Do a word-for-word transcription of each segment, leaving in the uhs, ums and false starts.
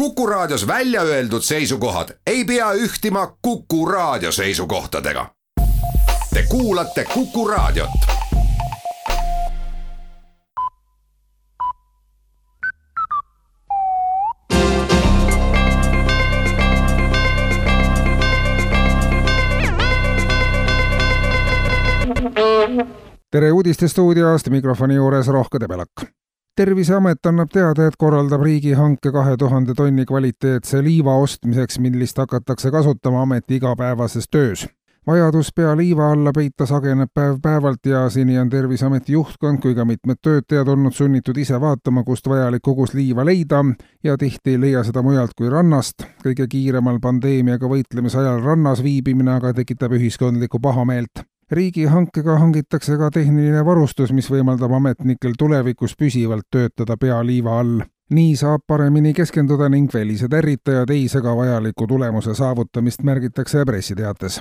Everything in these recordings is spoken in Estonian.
Kuku Raadios välja öeldud seisukohad ei pea ühtima Kuku Raadio seisukohtadega. Te kuulate Kuku Raadiot. Tere uudistestuudiost, mikrofoni juures Rohke Debelak. Terviseamet annab teada, et korraldab riigihanke kahe tuhande tonni kvaliteetse liiva ostmiseks, millist hakatakse kasutama ameti igapäevases töös. Vajadus pea liiva alla peita sageneb päev päevalt ja seni on Terviseameti juhtkond kui ka mitmed töötajad olnud sunnitud ise vaatama, kust vajalik kogus liiva leida ja tihti ei leia seda mujalt kui rannast. Kõige kiiremal pandeemiaga võitlemise ajal rannas viibimine aga tekitab ühiskondlikku pahameelt. Riigihankega hangitakse ka tehniline varustus, mis võimaldab ametnikel tulevikus püsivalt töötada pea liiva all. Nii saab paremini keskenduda ning välised ärritajad ei sega vajaliku tulemuse saavutamist, märgitakse pressiteates.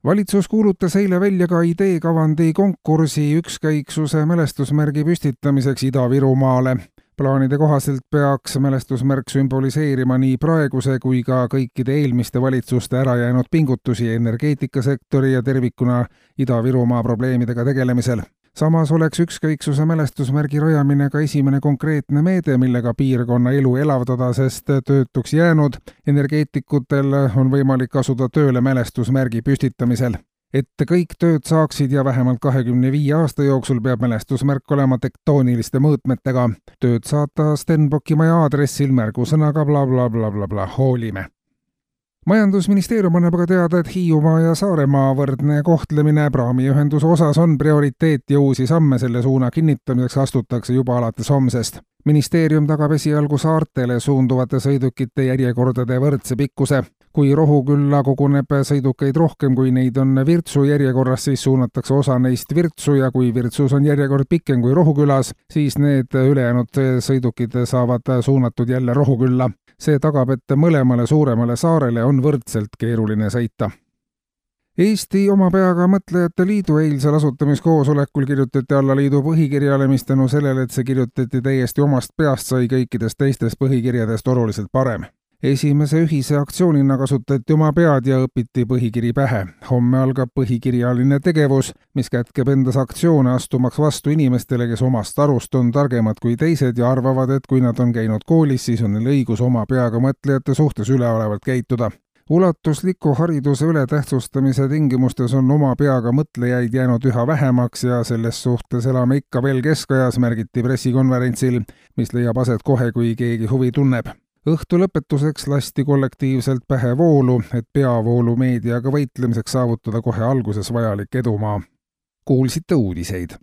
Valitsus kuulutas eile välja ka ideekavandi konkursi ükskõiksuse mälestusmärgi püstitamiseks Ida-Virumaale. Plaanide kohaselt peaks mälestusmärk sümboliseerima nii praeguse kui ka kõikide eelmiste valitsuste ära jäänud pingutusi energeetikasektori ja tervikuna Ida-Virumaa probleemidega tegelemisel. Samas oleks ükskõiksuse mälestusmärgi rajamine ka esimene konkreetne meede, millega piirkonna elu elavdada, sest töötuks jäänud energeetikutel on võimalik asuda tööle mälestusmärgi püstitamisel. Et kõik tööd saaksid ja vähemalt kahekümne viie aasta jooksul peab mälestusmärk olema tektooniliste mõõtmetega. Tööd saata Stenbocki maja aadressil märgusõnaga bla bla bla bla bla hoolime. Majandusministeerium annab aga teada, et Hiiumaa ja Saaremaa võrdne kohtlemine praamiühenduse osas on prioriteet ja uusi samme selle suuna kinnitamiseks astutakse juba alates homsest. Ministeerium tagab esialgu saartele suunduvate sõidukite järjekordade võrdse pikkuse. Kui Rohukülla koguneb sõidukeid rohkem kui neid on Virtsu järjekorras, siis suunatakse osa neist Virtsu ja kui Virtsus on järjekord pikem kui Rohukülas, siis need ülejäänud sõidukid saavad suunatud jälle Rohukülla. See tagab, et mõlemale suuremale saarele on võrdselt keeruline sõita. Eesti oma peaga mõtlejate liidu eilsel asutamiskoosolekul kirjutati alla liidu põhikirjale, mis tänu sellele, et see kirjutati täiesti omast peast, sai kõikidest teistest põhikirjadest oluliselt parem. Esimese ühise aktsioonina kasutati oma pead ja õpiti põhikiri pähe. Homme algab põhikirjaline tegevus, mis kätkeb endas aktsioone astumaks vastu inimestele, kes omast arust on targemad kui teised ja arvavad, et kui nad on käinud koolis, siis on neil õigus oma peaga mõtlejate suhtes üleolevalt käituda. Ulatusliku hariduse ületähtsustamise tingimustes on oma peaga mõtlejaid jäänud üha vähemaks ja selles suhtes elame ikka veel keskajas, märgiti pressikonverentsil, mis leiab aset kohe, kui keegi huvi tunneb. Õhtu lõpetuseks lasti kollektiivselt pähe voolu, et peavoolu meediaga võitlemiseks saavutada kohe alguses vajalik edumaa. Kuulsite uudiseid.